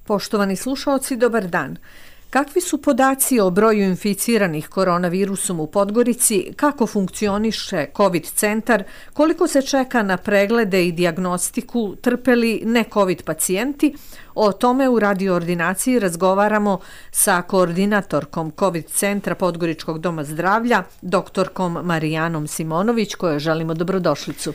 Poštovani slušaoci, dobar dan. Kakvi su podaci o broju inficiranih koronavirusom u Podgorici, kako funkcioniše COVID centar, koliko se čeka na preglede i dijagnostiku, trpe li ne-COVID pacijenti? O tome u radio ordinaciji razgovaramo sa koordinatorkom COVID centra Podgoričkog doma zdravlja, doktorkom Marijanom Simonović, kojoj želimo dobrodošlicu.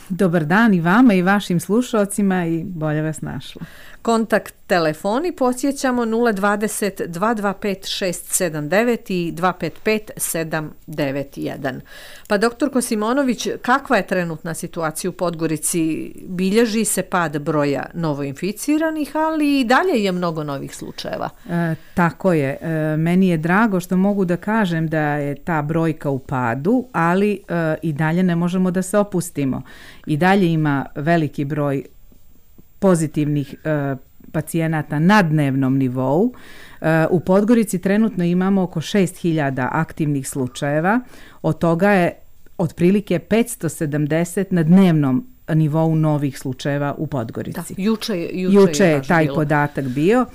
Dobar dan i vama i vašim slušalcima i bolje vas našla. Kontakt telefoni podsjećamo 020 225 679 i 255 791. Pa doktorko Simonović, kakva je trenutna situacija u Podgorici? Bilježi se pad broja novoinficiranih, ali i dalje je mnogo novih slučajeva. Tako je. Meni je drago što mogu da kažem da je ta brojka u padu, ali i dalje ne možemo da se opustimo. I dalje ima veliki broj pozitivnih pacijenata na dnevnom nivou. U Podgorici trenutno imamo oko 6000 aktivnih slučajeva, od toga je otprilike 570 na dnevnom nivou novih slučajeva u Podgorici. Da, juče je taj podatak bio,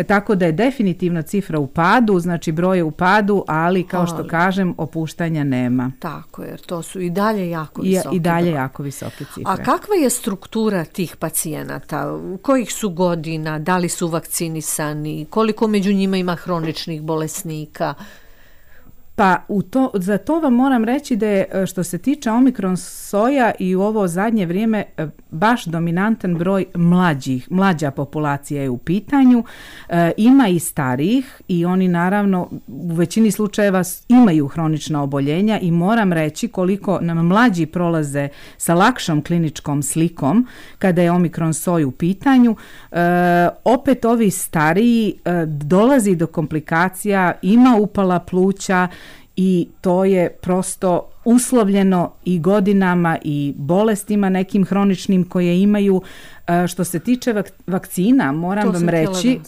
tako da je definitivno cifra u padu, znači broj je u padu, ali kao što kažem, opuštanja nema. Tako, jer to su i dalje jako visoke. I dalje jako visoke cifre. A kakva je struktura tih pacijenata? Kojih su godina? Da li su vakcinisani? Koliko među njima ima hroničnih bolesnika? Pa za to vam moram reći da je, što se tiče omikron soja i u ovo zadnje vrijeme baš dominantan broj mlađa populacija je u pitanju. Ima i starijih i oni naravno u većini slučajeva imaju hronična oboljenja i moram reći koliko nam mlađi prolaze sa lakšom kliničkom slikom kada je omikron soj u pitanju. Opet ovi stariji dolazi do komplikacija, ima upala pluća, i to je prosto uslovljeno i godinama i bolestima nekim hroničnim koje imaju. Što se tiče vakcina, moram vam reći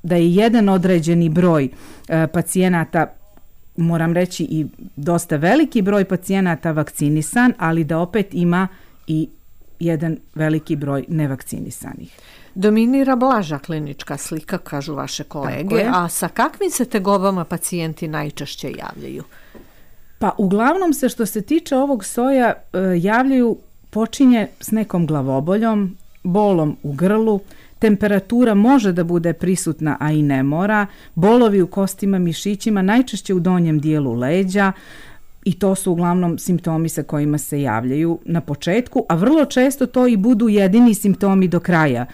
da je jedan određeni broj pacijenata, moram reći i dosta veliki broj pacijenata vakcinisan, ali da opet ima i jedan veliki broj nevakcinisanih. Dominira blaža klinička slika, kažu vaše kolege, a sa kakvim se tegobama pacijenti najčešće javljaju? Pa uglavnom se što se tiče ovog soja javljaju, počinje s nekom glavoboljom, bolom u grlu, temperatura može da bude prisutna, a i ne mora, bolovi u kostima, mišićima, najčešće u donjem dijelu leđa, i to su uglavnom simptomi sa kojima se javljaju na početku, a vrlo često to i budu jedini simptomi do kraja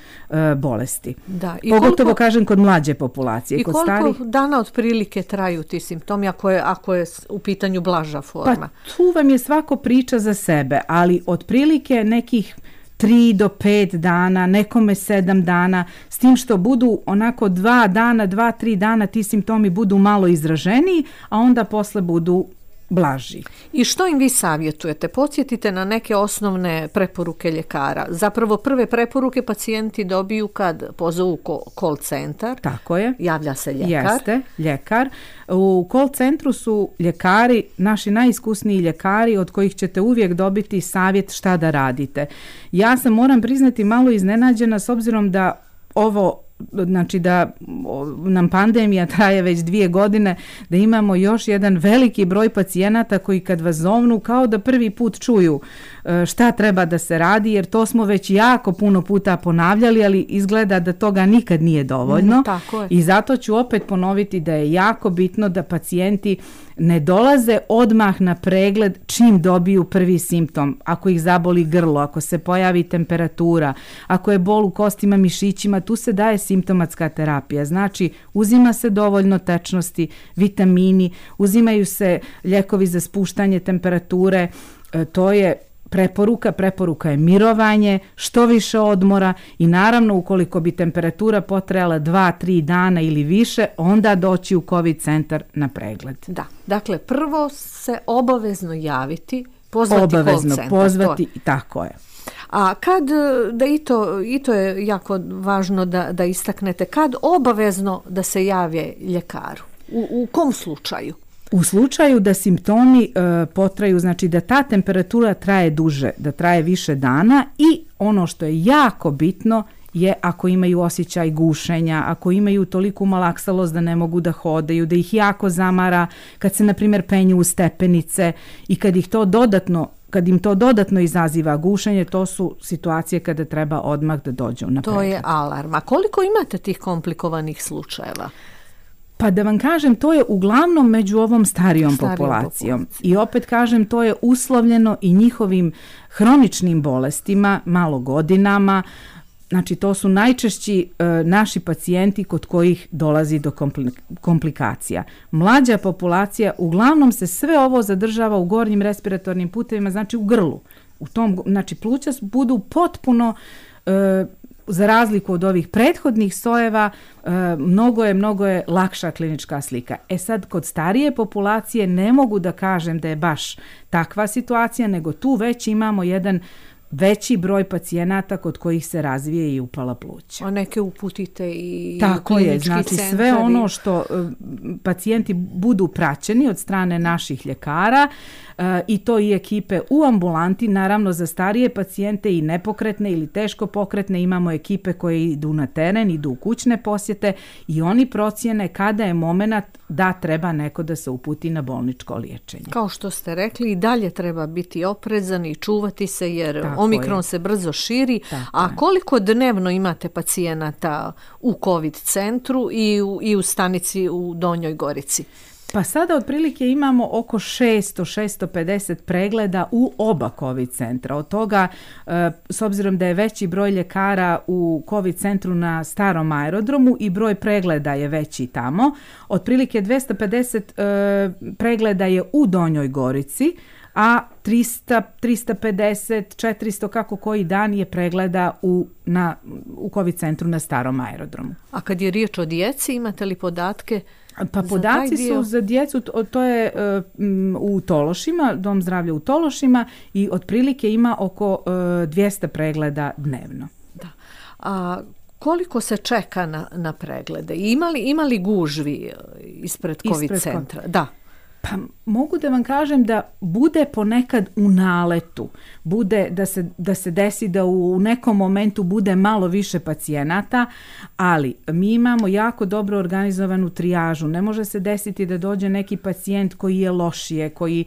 bolesti. Da, pogotovo kažem kod mlađe populacije. I kod koliko starih dana otprilike traju ti simptomi ako je u pitanju blaža forma? Pa tu vam je svako priča za sebe, ali otprilike nekih 3 do 5 dana, nekome 7 dana, s tim što budu onako 2-3 dana ti simptomi budu malo izraženiji, a onda posle budu blaži. I što im vi savjetujete? Podsjetite na neke osnovne preporuke ljekara. Zapravo prve preporuke pacijenti dobiju kad pozovu call centar. Tako je. Javlja se ljekar. Jeste, ljekar. U call centru su ljekari, naši najiskusniji ljekari od kojih ćete uvijek dobiti savjet šta da radite. Ja sam, moram priznati, malo iznenađena s obzirom da znači da nam pandemija traje već 2 godine, da imamo još jedan veliki broj pacijenata koji kad vas zovnu kao da prvi put čuju šta treba da se radi, jer to smo već jako puno puta ponavljali, ali izgleda da toga nikad nije dovoljno. I zato ću opet ponoviti da je jako bitno da pacijenti ne dolaze odmah na pregled čim dobiju prvi simptom. Ako ih zaboli grlo, ako se pojavi temperatura, ako je bol u kostima, mišićima, tu se daje simptomatska terapija. Znači, uzima se dovoljno tečnosti, vitamini, uzimaju se lijekovi za spuštanje temperature, to je preporuka je mirovanje, što više odmora i naravno ukoliko bi temperatura potrajala 2-3 dana ili više, onda doći u COVID centar na pregled. Da, dakle prvo se obavezno javiti, pozvati call centar. Tako je. A kad, da i to je jako važno da istaknete, kad obavezno da se jave ljekaru? U kom slučaju? U slučaju da simptomi potraju, znači da ta temperatura traje duže, da traje više dana i ono što je jako bitno je ako imaju osjećaj gušenja, ako imaju toliku malaksalost da ne mogu da hodaju, da ih jako zamara kad se, na primjer, penju u stepenice i kad im to dodatno izaziva gušenje, to su situacije kada treba odmah da dođu na pregled. To je alarm. A koliko imate tih komplikovanih slučajeva? Pa da vam kažem, to je uglavnom među ovom starijom populacijom. I opet kažem, to je uslovljeno i njihovim hroničnim bolestima, malo godinama. Znači, to su najčešći naši pacijenti kod kojih dolazi do komplikacija. Mlađa populacija, uglavnom se sve ovo zadržava u gornjim respiratornim putevima, znači u grlu. Znači, pluća budu potpuno, za razliku od ovih prethodnih sojeva, mnogo je lakša klinička slika. Sad, kod starije populacije ne mogu da kažem da je baš takva situacija, nego tu već imamo jedan veći broj pacijenata kod kojih se razvije i upala pluća. A neke uputite i tako je, znači centar. Sve ono što pacijenti budu praćeni od strane naših ljekara i to i ekipe u ambulanti, naravno za starije pacijente i nepokretne ili teško pokretne imamo ekipe koje idu na teren, idu u kućne posjete i oni procjene kada je moment da treba neko da se uputi na bolničko liječenje. Kao što ste rekli, i dalje treba biti oprezan i čuvati se jer Omikron se brzo širi. A koliko dnevno imate pacijenata u COVID centru i u stanici u Donjoj Gorici? Pa sada otprilike imamo oko 600-650 pregleda u oba COVID centra. Od toga, s obzirom da je veći broj ljekara u COVID centru na starom aerodromu i broj pregleda je veći tamo, otprilike 250 pregleda je u Donjoj Gorici, a 300, 350, 400 kako koji dan je pregleda u COVID centru na starom aerodromu. A kad je riječ o djeci, imate li podatke? Pa podaci su za djecu, to je u Tološima, Dom zdravlja u Tološima i otprilike ima oko 200 pregleda dnevno. Da. A koliko se čeka na preglede? Ima li gužvi ispred COVID centra? Da. Pa mogu da vam kažem da bude ponekad u naletu, bude da se desi da u nekom momentu bude malo više pacijenata, ali mi imamo jako dobro organizovanu trijažu. Ne može se desiti da dođe neki pacijent koji je lošije, koji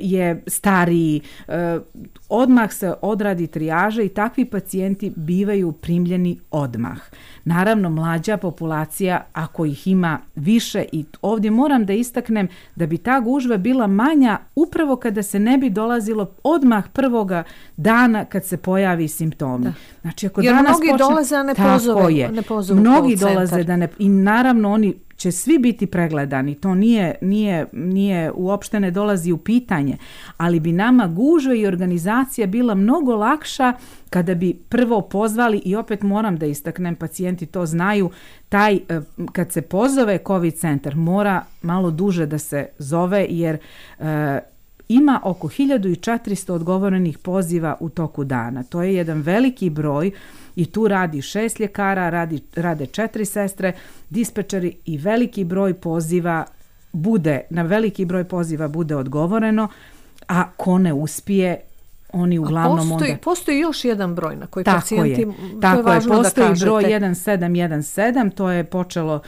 je stariji. Odmah se odradi trijaža i takvi pacijenti bivaju primljeni odmah. Naravno, mlađa populacija, ako ih ima više, i ovdje moram da istaknem da bi ta gužva bila manja upravo kada se ne bi dolazilo odmah prvoga dana kad se pojavi simptomi. Da. Znači, ako jer danas mnogi dolaze, a ne pozove. Mnogi dolaze i naravno oni će svi biti pregledani, to nije uopšte ne dolazi u pitanje, ali bi nama gužva i organizacija bila mnogo lakša kada bi prvo pozvali, i opet moram da istaknem, pacijenti to znaju, kad se pozove COVID centar mora malo duže da se zove jer ima oko 1400 odgovorenih poziva u toku dana. To je jedan veliki broj i tu radi 6 ljekara, rade 4 sestre, dispečeri i veliki broj poziva na veliki broj poziva bude odgovoreno, a ko ne uspije, oni uglavnom Postoji još jedan broj na koji pacijenti... Tako je, postoji broj 1717, to je počelo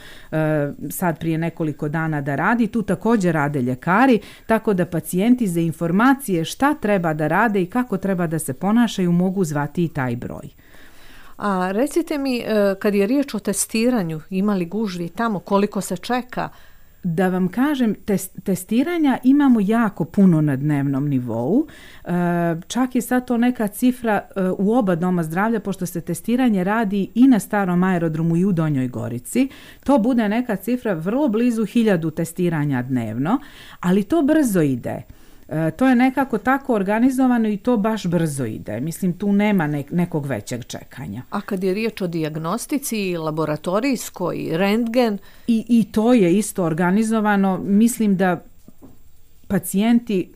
sad prije nekoliko dana da radi, tu također rade ljekari, tako da pacijenti za informacije šta treba da rade i kako treba da se ponašaju mogu zvati i taj broj. A recite mi, kad je riječ o testiranju, ima li gužvi tamo, koliko se čeka? Da vam kažem, testiranja imamo jako puno na dnevnom nivou. Čak je sad to neka cifra u oba doma zdravlja, pošto se testiranje radi i na starom aerodromu i u Donjoj Gorici. To bude neka cifra vrlo blizu 1000 testiranja dnevno, ali to brzo ide. To je nekako tako organizovano i to baš brzo ide. Mislim, tu nema nekog većeg čekanja. A kad je riječ o dijagnostici, laboratorijskoj, rentgen? I to je isto organizovano. Mislim da pacijenti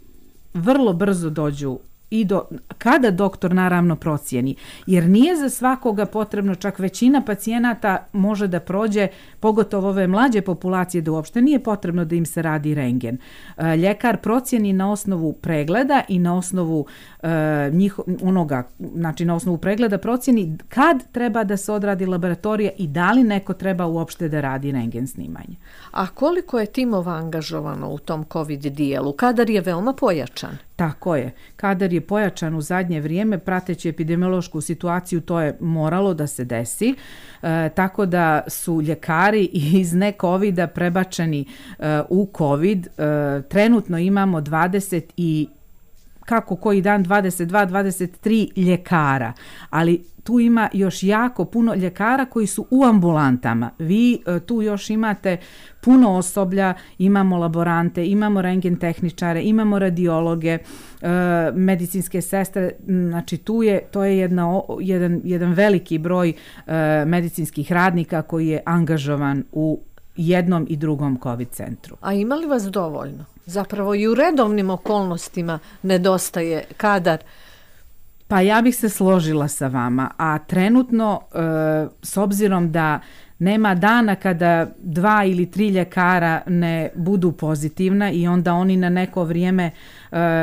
vrlo brzo dođu kada doktor naravno procijeni, jer nije za svakoga potrebno, čak većina pacijenata može da prođe, pogotovo ove mlađe populacije, da uopšte nije potrebno da im se radi rentgen. Ljekar procijeni na osnovu pregleda i na osnovu na osnovu pregleda procijeni kad treba da se odradi laboratorija i da li neko treba uopšte da radi rentgen snimanje. A koliko je timova angažovano u tom COVID dijelu? Kadar je veoma pojačan. Tako je. Kadar je pojačan u zadnje vrijeme, prateći epidemiološku situaciju, to je moralo da se desi, tako da su ljekari iz ne-covida prebačeni u COVID. Trenutno imamo 23 ljekara, ali tu ima još jako puno ljekara koji su u ambulantama. Vi tu još imate puno osoblja, imamo laborante, imamo rentgen tehničare, imamo radiologe, medicinske sestre, znači to je jedan veliki broj medicinskih radnika koji je angažovan u jednom i drugom COVID centru. A ima li vas dovoljno? Zapravo i u redovnim okolnostima nedostaje kadar. Pa ja bih se složila sa vama, a trenutno s obzirom da nema dana kada 2 ili 3 ljekara ne budu pozitivna i onda oni na neko vrijeme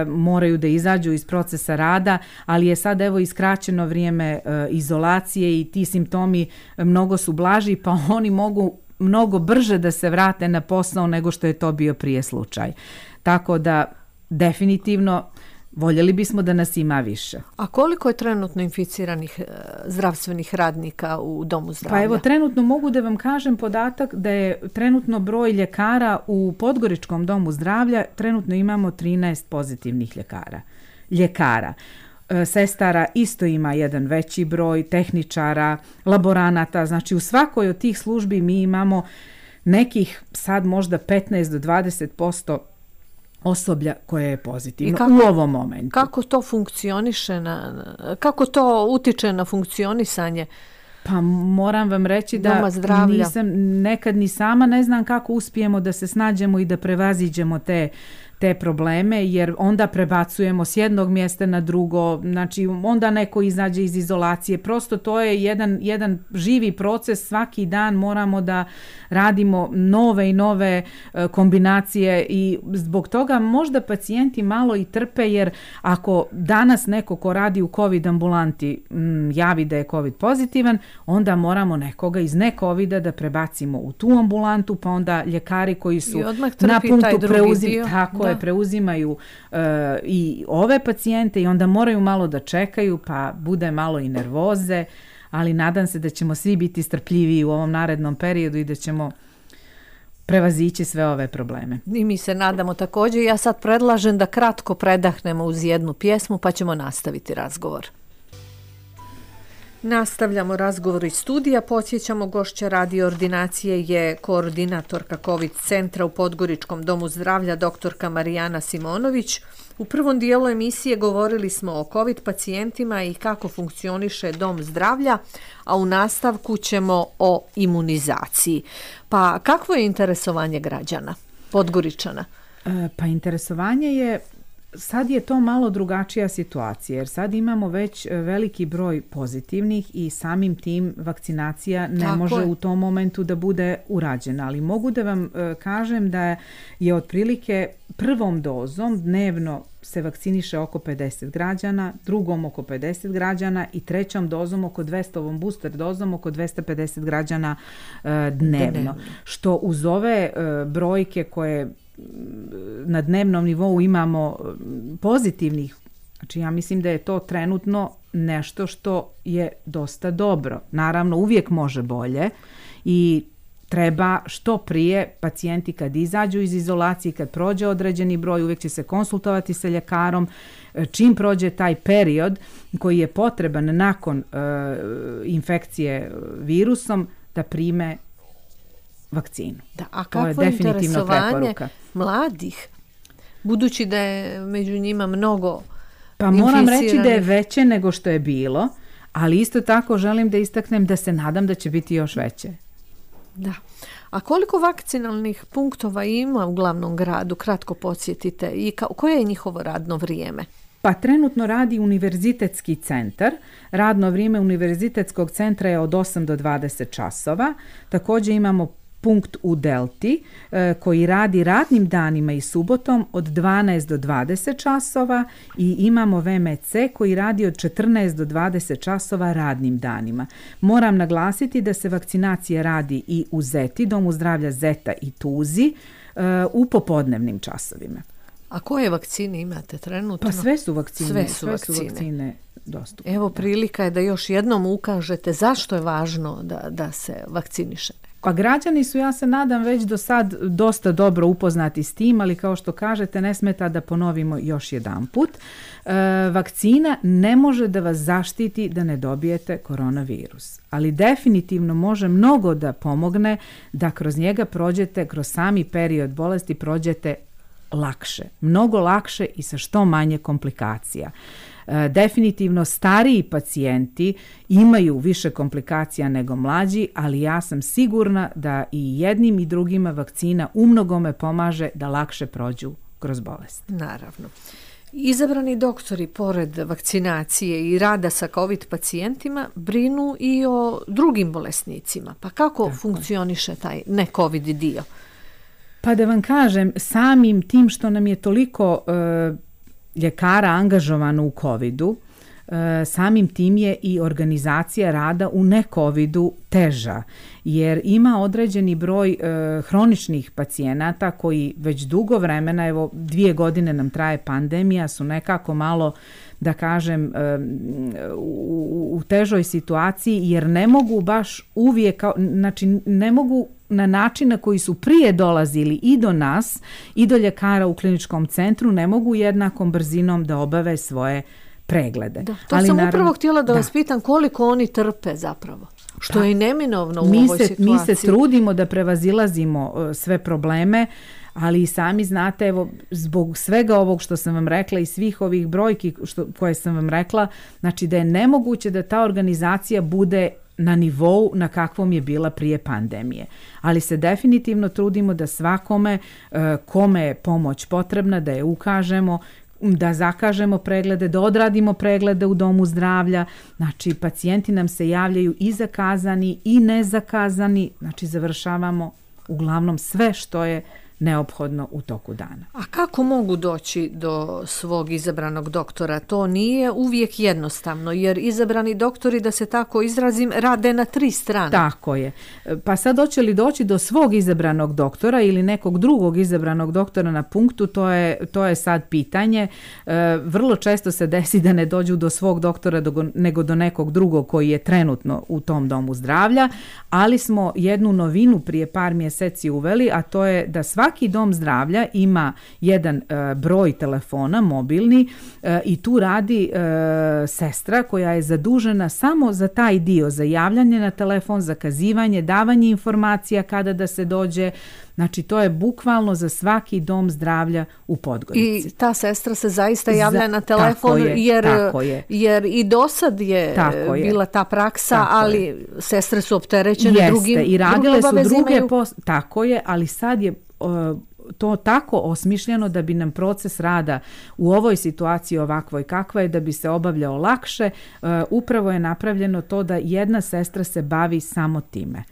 moraju da izađu iz procesa rada, ali je sad evo iskraćeno vrijeme izolacije i ti simptomi mnogo su blaži, pa oni mogu mnogo brže da se vrate na posao nego što je to bio prije slučaj. Tako da definitivno voljeli bismo da nas ima više. A koliko je trenutno inficiranih zdravstvenih radnika u domu zdravlja? Pa evo, trenutno mogu da vam kažem podatak da je trenutno broj ljekara u Podgoričkom domu zdravlja, trenutno imamo 13 pozitivnih ljekara. Sestara isto ima jedan veći broj, tehničara, laboranata, znači u svakoj od tih službi mi imamo nekih sad možda 15 do 20% osoblja koje je pozitivno u ovom momentu. Kako to funkcioniše, kako to utiče na funkcionisanje? Pa moram vam reći da nisam nekad ni sama ne znam kako uspijemo da se snađemo i da prevaziđemo te probleme, jer onda prebacujemo s jednog mjesta na drugo, znači onda neko izađe iz izolacije, prosto to je jedan živi proces, svaki dan moramo da radimo nove i nove kombinacije i zbog toga možda pacijenti malo i trpe, jer ako danas neko ko radi u COVID ambulanti javi da je COVID pozitivan, onda moramo nekoga iz ne-covida da prebacimo u tu ambulantu, pa onda ljekari koji su na punktu preuzimaju i ove pacijente i onda moraju malo da čekaju, pa bude malo i nervoze, ali nadam se da ćemo svi biti strpljiviji u ovom narednom periodu i da ćemo prevazići sve ove probleme. I mi se nadamo također. Ja sad predlažem da kratko predahnemo uz jednu pjesmu, pa ćemo nastaviti razgovor. Nastavljamo razgovor iz studija. Podsjećamo, gošća radio ordinacije je koordinatorka COVID centra u Podgoričkom domu zdravlja doktorka Marijana Simonović. U prvom dijelu emisije govorili smo o COVID pacijentima i kako funkcioniše dom zdravlja, a u nastavku ćemo o imunizaciji. Pa kakvo je interesovanje građana, Podgoričana? Pa interesovanje je, sad je to malo drugačija situacija, jer sad imamo već veliki broj pozitivnih i samim tim vakcinacija ne može u tom momentu da bude urađena. Ali mogu da vam kažem da je otprilike prvom dozom dnevno se vakciniše oko 50 građana, drugom oko 50 građana i trećom dozom oko 200, ovom booster dozom oko 250 građana dnevno. Što uz ove brojke koje na dnevnom nivou imamo pozitivnih, znači ja mislim da je to trenutno nešto što je dosta dobro. Naravno, uvijek može bolje i treba što prije pacijenti kad izađu iz izolacije, kad prođe određeni broj, uvijek će se konsultovati sa ljekarom, čim prođe taj period koji je potreban nakon infekcije virusom da prime vakcinu. Da, a kakvo je interesovanje mladih, budući da je među njima mnogo Pa moram reći da je veće nego što je bilo, ali isto tako želim da istaknem da se nadam da će biti još veće. Da. A koliko vakcinalnih punktova ima u glavnom gradu? Kratko podsjetite. I koje je njihovo radno vrijeme? Pa trenutno radi univerzitetski centar. Radno vrijeme univerzitetskog centra je od 8 do 20 časova. Također imamo punkt u Delti koji radi radnim danima i subotom od 12 do 20 časova i imamo VMC koji radi od 14 do 20 časova radnim danima. Moram naglasiti da se vakcinacija radi i u Zeti, Domu zdravlja Zeta i Tuzi u popodnevnim časovima. A koje vakcine imate trenutno? Pa sve su vakcine. Sve su vakcine dostupne. Evo, prilika je da još jednom ukažete zašto je važno da se vakciniše. Pa građani su, ja se nadam, već do sad dosta dobro upoznati s tim, ali kao što kažete, ne smeta da ponovimo još jedanput. Vakcina ne može da vas zaštiti da ne dobijete koronavirus, ali definitivno može mnogo da pomogne da kroz njega prođete, kroz sami period bolesti prođete lakše, mnogo lakše i sa što manje komplikacija. Definitivno stariji pacijenti imaju više komplikacija nego mlađi, ali ja sam sigurna da i jednim i drugima vakcina umnogome pomaže da lakše prođu kroz bolest. Naravno. Izabrani doktori, pored vakcinacije i rada sa COVID pacijentima, brinu i o drugim bolesnicima. Pa kako funkcioniše taj ne-COVID dio? Pa da vam kažem, samim tim što nam je toliko ljekara angažovano u COVID-u, samim tim je i organizacija rada u ne-COVID-u teža, jer ima određeni broj hroničnih pacijenata koji već dugo vremena, evo 2 godine nam traje pandemija, su nekako malo, da kažem, u težoj situaciji, jer ne mogu baš uvijek, znači ne mogu na način na koji su prije dolazili i do nas i do ljekara u kliničkom centru, ne mogu jednakom brzinom da obave svoje preglede. Da, to ali sam upravo htjela da vas pitam koliko oni trpe zapravo, što je neminovno u ovoj situaciji. Mi se trudimo da prevazilazimo sve probleme, ali i sami znate, evo, zbog svega ovog što sam vam rekla i svih ovih brojki koje sam vam rekla, znači da je nemoguće da ta organizacija bude na nivou na kakvom je bila prije pandemije. Ali se definitivno trudimo da svakome kome je pomoć potrebna, da je ukažemo, da zakažemo preglede, da odradimo preglede u domu zdravlja. Znači, pacijenti nam se javljaju i zakazani i nezakazani. Znači, završavamo uglavnom sve što je neophodno u toku dana. A kako mogu doći do svog izabranog doktora? To nije uvijek jednostavno, jer izabrani doktori, da se tako izrazim, rade na 3 strane. Tako je. Pa sad hoće li doći do svog izabranog doktora ili nekog drugog izabranog doktora na punktu, to je sad pitanje. Vrlo često se desi da ne dođu do svog doktora nego do nekog drugog koji je trenutno u tom domu zdravlja, ali smo jednu novinu prije par mjeseci uveli, a to je da svaki dom zdravlja ima jedan broj telefona mobilni i tu radi sestra koja je zadužena samo za taj dio, za javljanje na telefon, zakazivanje, davanje informacija kada da se dođe. Znači, to je bukvalno za svaki dom zdravlja u Podgorici. I ta sestra se zaista javlja na telefon, jer i dosad je bila ta praksa, ali sestre su opterećene drugim i radile su druge tako je, ali sad je to tako osmišljeno da bi nam proces rada u ovoj situaciji ovakvoj kakva je, da bi se obavljao lakše, upravo je napravljeno to da jedna sestra se bavi samo time.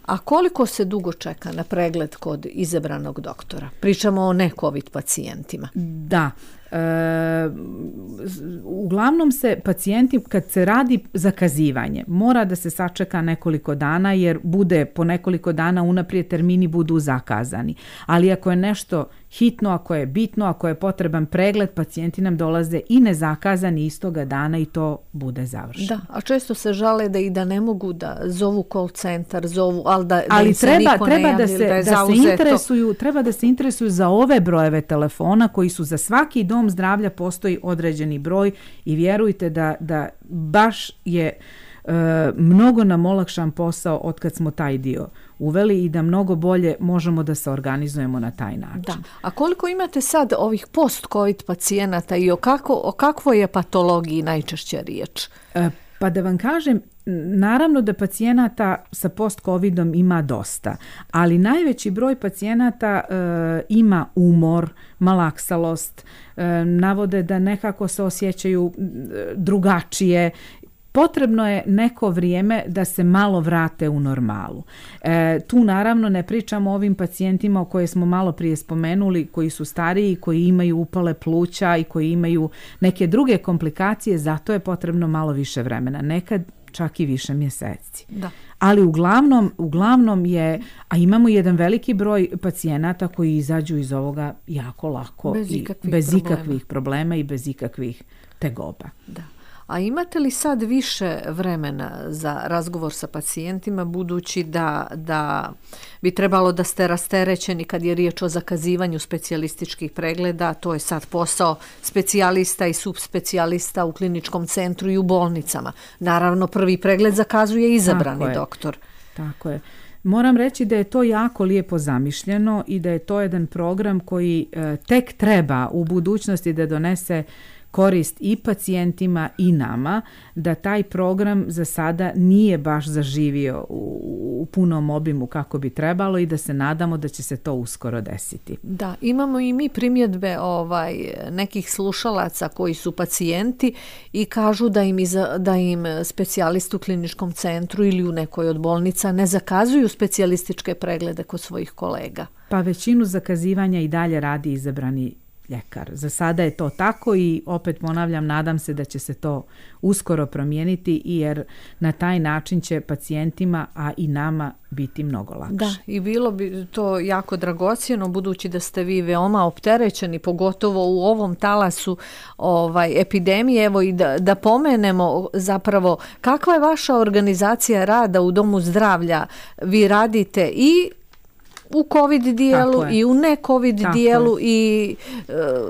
A koliko se dugo čeka na pregled kod izabranog doktora? Pričamo o ne-COVID pacijentima. Da. Uglavnom se pacijenti, kad se radi zakazivanje, mora da se sačeka nekoliko dana, jer bude po nekoliko dana unaprijed termini budu zakazani. Ali ako je nešto hitno, ako je bitno, ako je potreban pregled, pacijenti nam dolaze i nezakazani istoga dana i to bude završeno. Da, a često se žale da ne mogu da zovu call centar, ali treba da se interesuju za ove brojeve telefona koji su za svaki dom zdravlja, postoji određeni broj i vjerujte da baš je mnogo nam olakšan posao od kad smo taj dio uveli i da mnogo bolje možemo da se organizujemo na taj način. Da. A koliko imate sad ovih post-COVID pacijenata i o kakvoj je patologiji najčešće riječ? Pa da vam kažem, naravno da pacijenata sa post-covidom ima dosta, ali najveći broj pacijenata ima umor, malaksalost, navode da nekako se osjećaju drugačije. Potrebno je neko vrijeme da se malo vrate u normalu. Tu naravno ne pričamo o ovim pacijentima o koje smo malo prije spomenuli, koji su stariji, koji imaju upale pluća i koji imaju neke druge komplikacije, zato je potrebno malo više vremena, nekad čak i više mjeseci. Da. Ali uglavnom je, a imamo jedan veliki broj pacijenata koji izađu iz ovoga jako lako, bez ikakvih problema i bez ikakvih tegoba. Da. A imate li sad više vremena za razgovor sa pacijentima, budući da bi trebalo da ste rasterećeni kad je riječ o zakazivanju specijalističkih pregleda, to je sad posao specijalista i subspecijalista u kliničkom centru i u bolnicama. Naravno, prvi pregled zakazuje izabrani doktor. Tako je. Moram reći da je to jako lijepo zamišljeno i da je to jedan program koji tek treba u budućnosti da donese korist i pacijentima i nama, da taj program za sada nije baš zaživio u punom obimu kako bi trebalo i da se nadamo da će se to uskoro desiti. Da, imamo i mi primjedbe nekih slušalaca koji su pacijenti i kažu da im specijalist u kliničkom centru ili u nekoj od bolnica ne zakazuju specijalističke preglede kod svojih kolega. Pa većinu zakazivanja i dalje radi izabrani ljekar. Za sada je to tako i opet ponavljam, nadam se da će se to uskoro promijeniti jer na taj način će pacijentima, a i nama biti mnogo lakše. Da, i bilo bi to jako dragocjeno budući da ste vi veoma opterećeni, pogotovo u ovom talasu epidemije. Evo i da pomenemo zapravo kakva je vaša organizacija rada u Domu zdravlja. Vi radite i u COVID dijelu i u ne-COVID dijelu i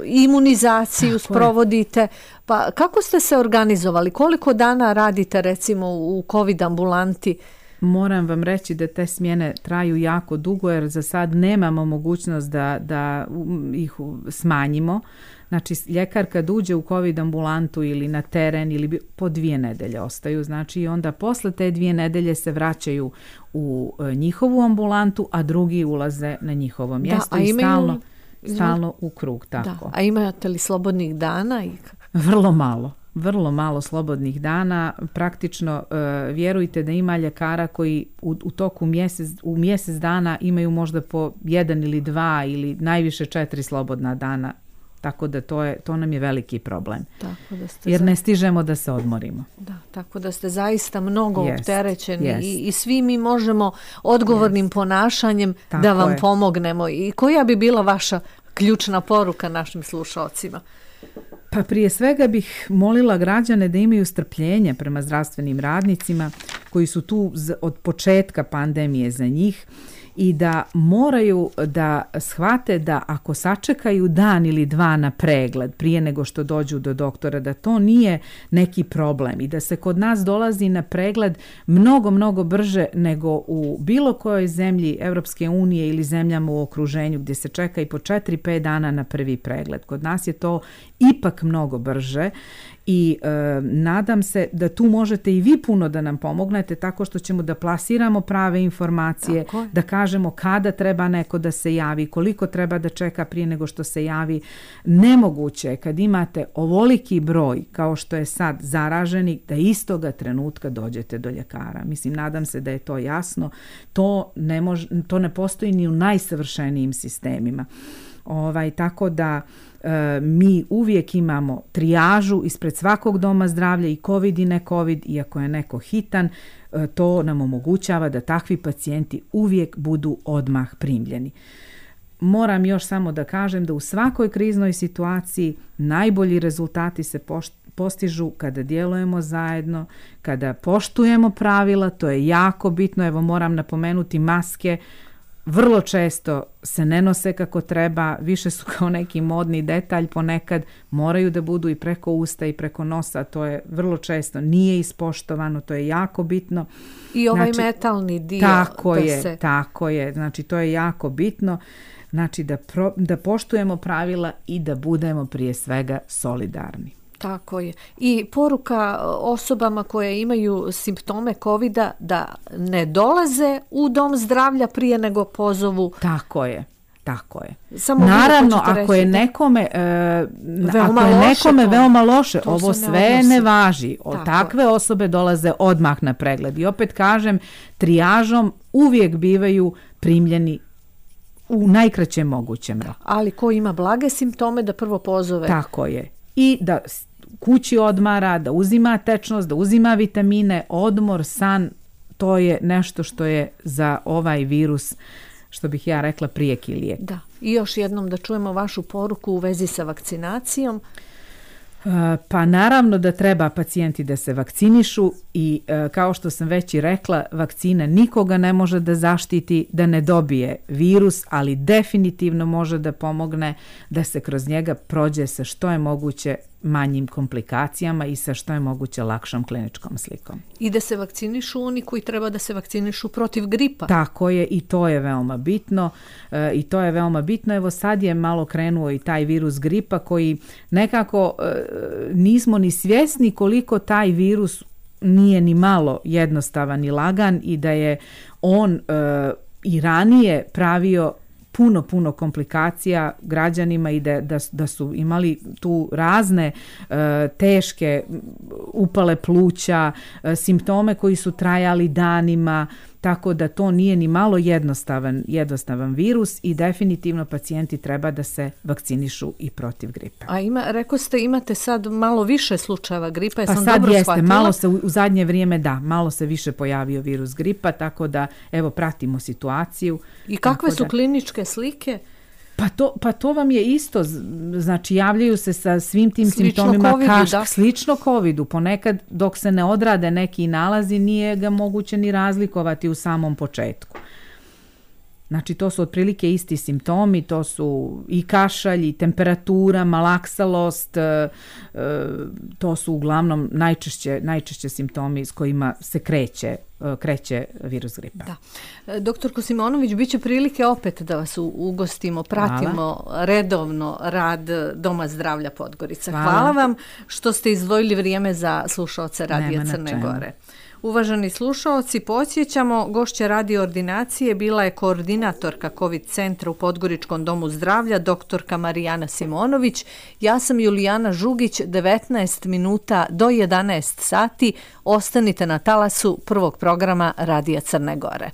imunizaciju sprovodite. Pa kako ste se organizovali? Koliko dana radite recimo u COVID ambulanti? Moram vam reći da te smjene traju jako dugo jer za sad nemamo mogućnost da ih smanjimo. Znači, ljekar kad uđe u COVID ambulantu ili na teren ili po 2 nedelje ostaju, znači onda posle te 2 nedelje se vraćaju u njihovu ambulantu, a drugi ulaze na njihovo mjesto i stalno u krug. Tako. Da. A imate li slobodnih dana? Vrlo malo slobodnih dana. Praktično vjerujte da ima ljekara koji u toku mjesec dana imaju možda po 1 ili 2 ili najviše 4 slobodna dana. Tako da to nam je veliki problem. Jer ne stižemo da se odmorimo. Da, tako da ste zaista mnogo opterećeni i svi mi možemo odgovornim ponašanjem da vam pomognemo. I koja bi bila vaša ključna poruka našim slušalcima? Pa prije svega bih molila građane da imaju strpljenje prema zdravstvenim radnicima koji su tu od početka pandemije za njih i da moraju da shvate da ako sačekaju dan ili 2 na pregled prije nego što dođu do doktora, da to nije neki problem i da se kod nas dolazi na pregled mnogo brže nego u bilo kojoj zemlji Europske unije ili zemljama u okruženju gdje se čeka i po 4-5 dana na prvi pregled. Kod nas je to ipak mnogo brže i nadam se da tu možete i vi puno da nam pomognete tako što ćemo da plasiramo prave informacije, da kažemo kada treba neko da se javi, koliko treba da čeka prije nego što se javi. Nemoguće je kad imate ovoliki broj kao što je sad zaraženih da istoga trenutka dođete do ljekara. Mislim, nadam se da je to jasno. To ne postoji ni u najsavršenijim sistemima. Tako da mi uvijek imamo trijažu ispred svakog doma zdravlja i COVID i ne COVID, iako je neko hitan, to nam omogućava da takvi pacijenti uvijek budu odmah primljeni. Moram još samo da kažem da u svakoj kriznoj situaciji najbolji rezultati se postižu kada djelujemo zajedno, kada poštujemo pravila, to je jako bitno. Evo moram napomenuti maske. Vrlo često se ne nose kako treba, više su kao neki modni detalj, ponekad moraju da budu i preko usta i preko nosa, to je vrlo često nije ispoštovano, to je jako bitno. I ovaj metalni dio. Tako je, znači to je jako bitno, znači da poštujemo pravila i da budemo prije svega solidarni. Tako je. I poruka osobama koje imaju simptome COVID-a da ne dolaze u dom zdravlja prije nego pozovu. Tako je. Tako je. Samo naravno, ako je nekome, veoma loše, ovo sve ne važi. Takve osobe dolaze odmah na pregled. I opet kažem, trijažom uvijek bivaju primljeni u najkraćem mogućem roku. Ali ko ima blage simptome da prvo pozove. Tako je. I da kući odmara, da uzima tečnost, da uzima vitamine, odmor, san, to je nešto što je za ovaj virus, što bih ja rekla, prijeki lijek. Da. I još jednom da čujemo vašu poruku u vezi sa vakcinacijom. Pa naravno da treba pacijenti da se vakcinišu i kao što sam već i rekla, vakcina nikoga ne može da zaštiti da ne dobije virus, ali definitivno može da pomogne da se kroz njega prođe sa što je moguće manjim komplikacijama i sa što je moguće lakšom kliničkom slikom. I da se vakcinišu oni koji treba da se vakcinišu protiv gripa. Tako je, i to je veoma bitno. Evo sad je malo krenuo i taj virus gripa koji nekako nismo ni svjesni koliko taj virus nije ni malo jednostavan i lagan i da je on i ranije pravio puno komplikacija građanima i da su imali tu razne teške upale pluća, simptome koji su trajali danima, tako da to nije ni malo jednostavan virus i definitivno pacijenti treba da se vakcinišu i protiv gripe. A rekao ste, imate sad malo više slučajeva gripa, pa sad jeste, malo se u zadnje vrijeme malo se više pojavio virus gripa, tako da evo pratimo situaciju. I kakve su kliničke slike? Pa to vam je isto, znači javljaju se sa svim tim simptomima slično COVID-u. Ponekad dok se ne odrade neki nalazi nije ga moguće ni razlikovati u samom početku. Znači to su otprilike isti simptomi, to su i kašalj, i temperatura, malaksalost, to su uglavnom najčešće simptomi s kojima se kreće virus gripa. Da. Doktorko Simonović, bit će prilike opet da vas ugostimo, pratimo redovno rad Doma zdravlja Podgorica. Hvala vam što ste izdvojili vrijeme za slušaoce Radija Crne Gore. Uvaženi slušaoci, podsjećamo, gošća radio ordinacije bila je koordinatorka COVID centra u Podgoričkom domu zdravlja, doktorka Marijana Simonović. Ja sam Julijana Žugić, 19 minuta do 11 sati. Ostanite na talasu prvog programa Radija Crne Gore.